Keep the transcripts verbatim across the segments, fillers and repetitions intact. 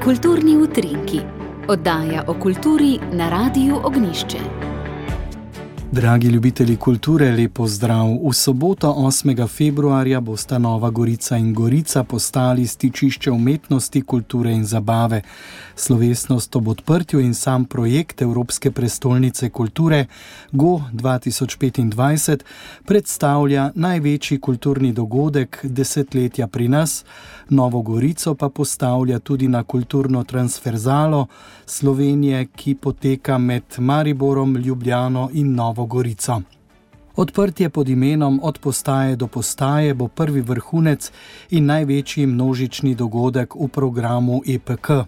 Kulturni utrinki, oddaja o kulturi na Radiu Ognjišče. Dragi ljubitelji kulture, lep pozdrav. V soboto osmega februarja bosta Nova Gorica in Gorica postali stičišče umetnosti, kulture in zabave. Slovesnost ob odprtju in sam projekt Evropske prestolnice kulture Go dva tisoč petindvajset predstavlja največji kulturni dogodek desetletja pri nas, Novo Gorico pa postavlja tudi na kulturno transverzalo Slovenije, ki poteka med Mariborom, Ljubljano in Novo Gorico. Odprtje pod imenom Od postaje do postaje bo prvi vrhunec in največji množični dogodek v programu E P K.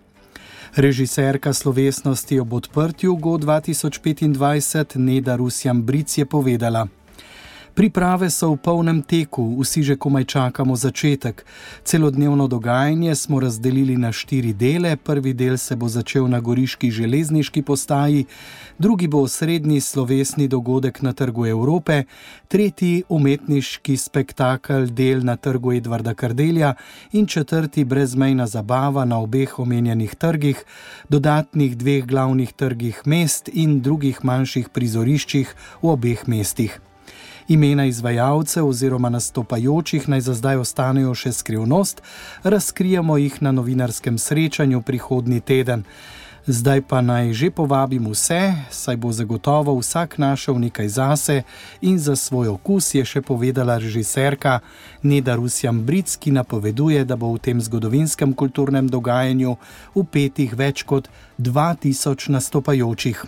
Režiserka slovesnosti ob odprtju Go dva tisoč petindvajset Neda Rusjan-Bric je povedala: Priprave so v polnem teku, vsi že komaj čakamo začetek. Celodnevno dogajanje smo razdelili na štiri dele. Prvi del se bo začel na goriški železniški postaji, drugi bo osrednji slovesni dogodek na Trgu Evrope, tretji umetniški spektakel del na Trgu Edvarda Kardelja in četrti brezmejna zabava na obeh omenjenih trgih, dodatnih dveh glavnih trgih mest in drugih manjših prizoriščih v obeh mestih. Imena izvajalcev oziroma nastopajočih naj za zdaj ostanejo še skrivnost, razkrijemo jih na novinarskem srečanju prihodnji teden. Zdaj pa naj že povabim vse, saj bo zagotovo vsak našel nekaj zase in za svoj okus, je še povedala režiserka Neda Rusjan-Bric, ki napoveduje, da bo v tem zgodovinskem kulturnem dogajanju vpetih več kot dva tisoč nastopajočih.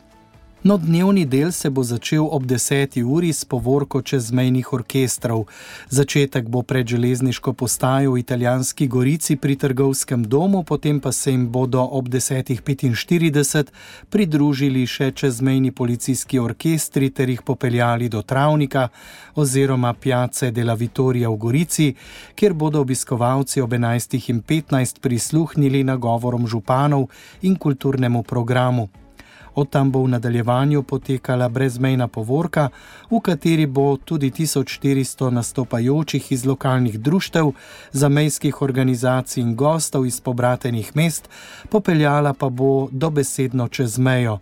No, dnevni del se bo začel ob deseti uri s povorko čezmejnih orkestrov. Začetek bo pred železniško postajo v Italijanski Gorici pri Trgovskem domu, potem pa se jim bodo ob desetih petinštirideset pridružili še čezmejni policijski orkestri ter jih popeljali do Travnika oziroma Piazze della Vittoria v Gorici, kjer bodo obiskovalci ob enajstih in petnajst prisluhnili nagovorom županov in kulturnemu programu. Od tam bo v nadaljevanju potekala brezmejna povorka, v kateri bo tudi tisoč štiristo nastopajočih iz lokalnih društev, zamejskih organizacij in gostov iz pobratenih mest, popeljala pa bo dobesedno čez mejo.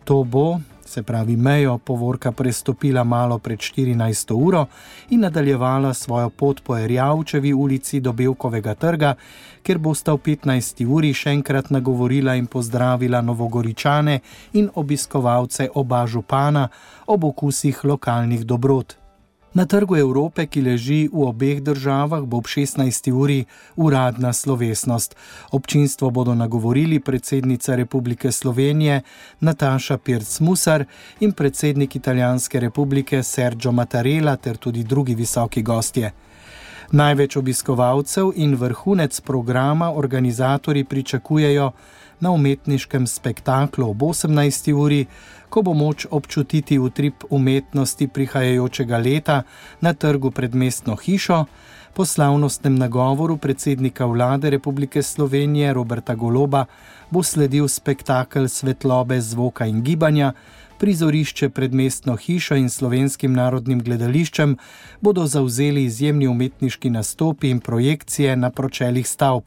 To bo, se pravi mejo, povorka prestopila malo pred štirinajsto uro in nadaljevala svojo pot po Erjavčevi ulici do Bevkovega trga, kjer bosta v petnajsti uri še enkrat nagovorila in pozdravila Novogoričane in obiskovalce oba župana ob okusih lokalnih dobrot. Na Trgu Evrope, ki leži v obeh državah, bo ob šestnajsti uri uradna slovesnost. Občinstvo bodo nagovorili predsednica Republike Slovenije Nataša Pirc-Musar in predsednik Italijanske republike Sergio Mattarella ter tudi drugi visoki gostje. Največ obiskovalcev in vrhunec programa organizatorji pričakujejo na umetniškem spektaklu ob osemnajsti uri, ko bo moč občutiti utrip umetnosti prihajajočega leta na trgu pred mestno hišo. Po slavnostnem nagovoru predsednika vlade Republike Slovenije Roberta Goloba bo sledil spektakel svetlobe, zvoka in gibanja. Prizorišče pred mestno hišo in Slovenskim narodnim gledališčem bodo zavzeli izjemni umetniški nastopi in projekcije na pročelih stavb.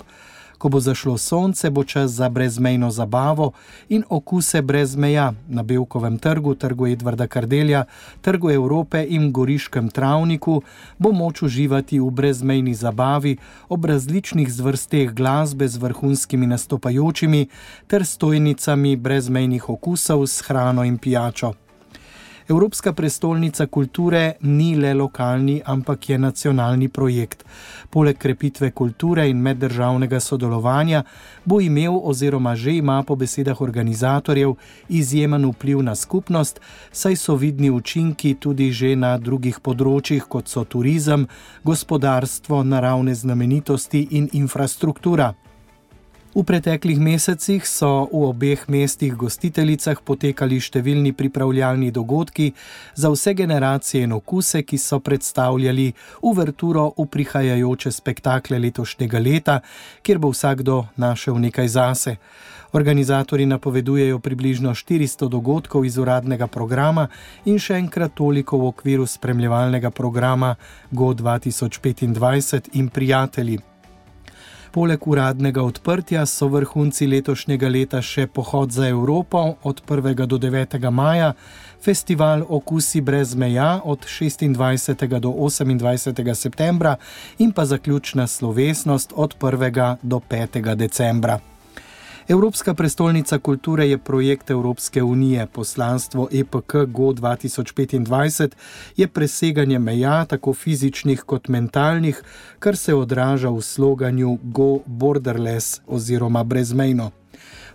Ko bo zašlo sonce, bo čas za brezmejno zabavo in okuse brez meja na Bevkovem trgu, Trgu Edvarda Kardelja, Trgu Evrope in Goriškem Travniku bo moč uživati v brezmejni zabavi ob različnih zvrsteh glasbe z vrhunskimi nastopajočimi ter stojnicami brezmejnih okusov s hrano in pijačo. Evropska prestolnica kulture ni le lokalni, ampak je nacionalni projekt. Poleg krepitve kulture in meddržavnega sodelovanja bo imel oziroma že ima po besedah organizatorjev izjemen vpliv na skupnost, saj so vidni učinki tudi že na drugih področjih, kot so turizem, gospodarstvo, naravne znamenitosti in infrastruktura. V preteklih mesecih so v obeh mestih gostiteljicah potekali številni pripravljalni dogodki za vse generacije in okuse, ki so predstavljali uverturo v prihajajoče spektakle letošnjega leta, kjer bo vsakdo našel nekaj zase. Organizatorji napovedujejo približno štiristo dogodkov iz uradnega programa in še enkrat toliko v okviru spremljevalnega programa Go dva tisoč petindvajset in prijatelji. Poleg uradnega odprtja so vrhunci letošnjega leta še pohod za Evropo od prvega do devetega maja, festival Okusi brez meja od šestindvajsetega do osemindvajsetega septembra in pa zaključna slovesnost od prvega do petega decembra. Evropska prestolnica kulture je projekt Evropske unije. Poslanstvo E P K Go dva tisoč petindvajset je preseganje meja, tako fizičnih kot mentalnih, kar se odraža v sloganju Go Borderless oziroma brezmejno.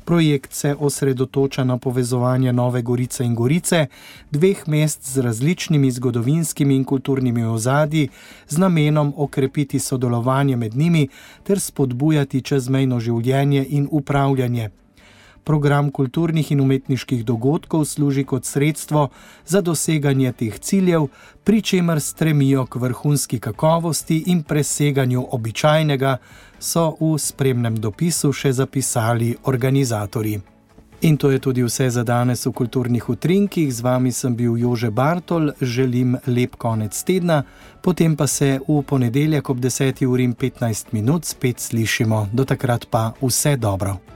Projekt se osredotoča na povezovanje Nove Gorice in Gorice, dveh mest z različnimi zgodovinskimi in kulturnimi ozadji, z namenom okrepiti sodelovanje med njimi ter spodbujati čezmejno življenje in upravljanje. Program kulturnih in umetniških dogodkov služi kot sredstvo za doseganje teh ciljev, pri čemer stremijo k vrhunski kakovosti in preseganju običajnega, so v spremnem dopisu še zapisali organizatorji. In to je tudi vse za danes v Kulturnih utrinkih. Z vami sem bil Jože Bartol, želim lep konec tedna, potem pa se v ponedeljek ob deseti uri in petnajst minut spet slišimo. Do takrat pa vse dobro.